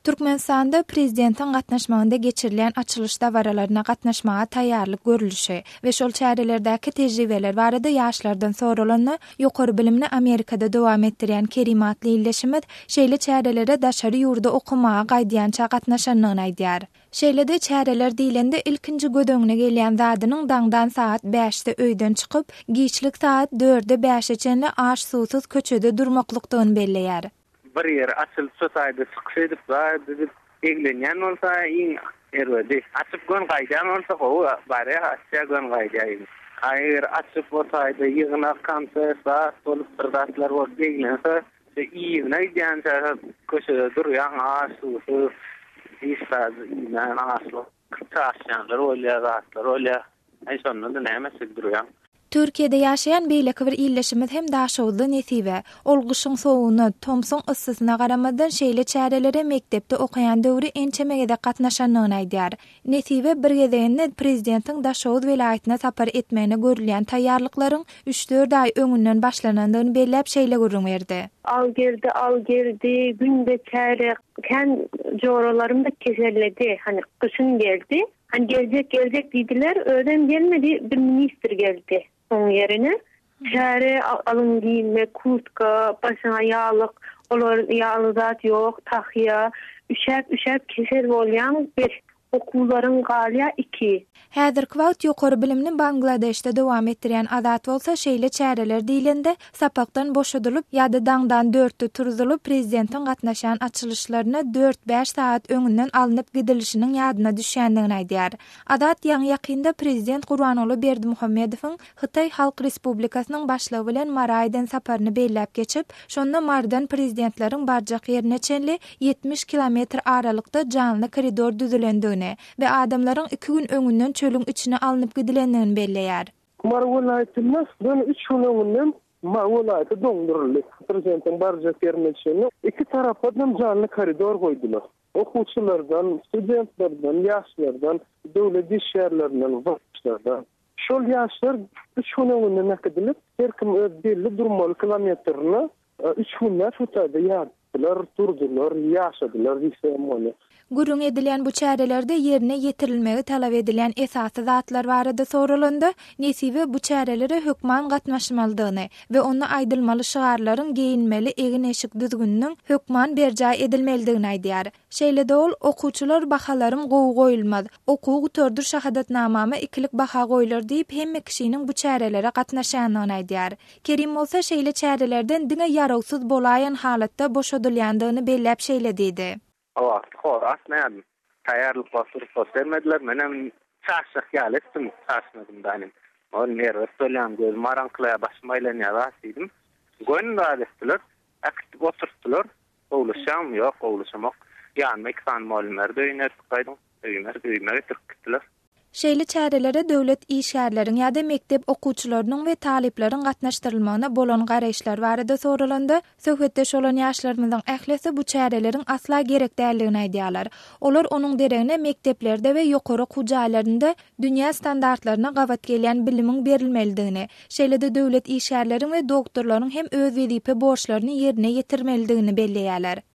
Türkmenistanda prezidentiň gatnaşmagynda geçirilýän açylyş dabaralaryna gatnaşmaga taýýarlyk görlüşi we şol çärelerdäki tejribeler barada ýaşlardan soralanda, ýokary bilimini Amerikada dowam etdirýän Kerim atly ildeşimiz şeýle çärelere daşary ýurda okamaga gaýdýança gatnaşandygyny aýdýar. Şeýle-de çäreler diýlende ilkinji göz öňüne gelýän zadynyň daňdan sagat bäşde öýden çykyp, giçlik sagat dörde bäşe çenli aş-suwsuz köçede durmaklykdygyny belleýär. Bir ýeri açylyp şo taýda çykyş edip zat edip eglenýän bolsa iň erbedi. Açyp gön gaýdýan bolsa gowy barýa açýa gön gaýdýa iň. A eger açyp o taýda ýygnak konsert zat bolup bir zatlar bolup eglense şo yzyna gidýänçä şo köçede durýaň aç suwsuz hiç zat iýmän açlyk çaşýanlar bolýa zatlar bolýa. Aý şonda-da näme etjek durýaň. Türkiýede ýaşaýan beýleki bir ildeşimiz hem daşoguzly Nesibe. Ol gyşyň sowugyna, tomsuň yssysyna garamazdan şeýle çärelere mekdepde okaýan döwri ençeme gezek gatnaşandygyny aýdýar. Nesibe bir gezeginde prezidentiň Daşoguz welaýatyna sapar etmegine görülýän taýýarlyklaryň üç-dört aý öňünden başlanandygyny belläp şeýle gürrüň berdi. Al geldi, al geldi, günde çäre, kän joralarym-da keselledi, hany gyşyn geldi. Hani geljek geljek diýdiler, özem gelmedi, bir ministr geldi oň ýerine. Çäre alyň geýinmek, kurtka, başyňa ýaglyk, olar ýaly zat ýok, tahýa, üşäp üşäp kesel bolýaň bir, okuwlaryň galýa iki. Häzirki wagt ýokary bilimini Bangladeşde dowam etdirýän Azat bolsa şeýle çäreler diýlende, sapakdan boşadylyp ýa-da daňdan dörtde turzulyp, prezidentiň gatnaşýan açylyşlaryna dört-bäş sagat öňünden alnyp gidilişiniň ýadyna düşýändigini aýdýar. Azat ýaňy-ýakynda prezident Gurbanguly Berdimuhamedowyň Hytaý Halk Respublikasynyň Başlygy bilen Mara eden saparyny belläp geçip, şonda Marydan prezidentleriň barjak ýerine çenli 70 kilometr aralykda janly koridor düzülendigini we adamlaryň iki gün öňünden çölüň içine alnyp gidilendigini belleýär. Mary welaýatynda göni üç gün öňünden Mary welaýaty doňduryldy. Prezidentiň barjak ýerine çenli iki tarapadam janly koridor goýdular. Okuwçylardan, studentlerden, ýaşlardan, döwlet işgärlerinden, wraçlardan. Şol ýaşlar üç gün öňünden äkidilip, her kim öz belli durmaly kilometrine üç günläp şu taýda ýatdylar, durdular, ýaşadylar diýse hem bolýar. Gürrüň edilýän bu çärelerde ýerine ýetirilmegi talap edilýän esasy zatlar barada soralanda, Nesibe bu çärelere hökman gatnaşmalydygyny we onda aýdylmaly şygarlaryň geýinmeli egin-eşik düzgüniniň hökman berjaý edilmelidigini aýdýar. Şeýle-de ol, Okuwçylar bahalarym gowy goýulmaz, okuwy gutardyr şahadatnamama ikilik baha goýlar diýip hemme kişiniň bu çärelere gatnaşýandygyny aýdýar. Kerim bolsa şeýle çärelerden diňe ýarawsyz bolaýan halatda boşadylýandygyny belläp şeýle diýdi. O wagt hor atmaýardym. Taýýarlyk wagty rugsat bermediler. Menem çaşjak ýaly etdim. Çaşmadym da inim. Ol erbet bolýan, gözüm garaňkylaýar, başym aýlanýar zat diýdim. Göni zat etdiler. Äkitip oturtdylar. Gowlaşýaňmy? Ýok, gowlaşamok. Ýanyma iki sany mugallym berdi, öýüne eltip gaýdyň. Öýüme, öýüme getirip gitdiler. Şeýle çärelere döwlet işgärleriň ýa-da mekdep okuwçylarynyň we talyplaryň gatnaşdyrylmagyna bolan garaýyşlar barada soralanda, söhbetdeş bolan ýaşlarymyzyň ählisi bu çäreleriň asla gerek däldigini aýdýarlar. Olar onuň deregine mekdeplerde we ýokary okuw jaýlarynda dünýä standartlaryna gabat gelýän bilimiň berilmelidigini, şeýle-de döwlet işgärleriň we doktorlaryň hem öz wezipe borçlaryny ýerine ýetirmelidigini belleýärler.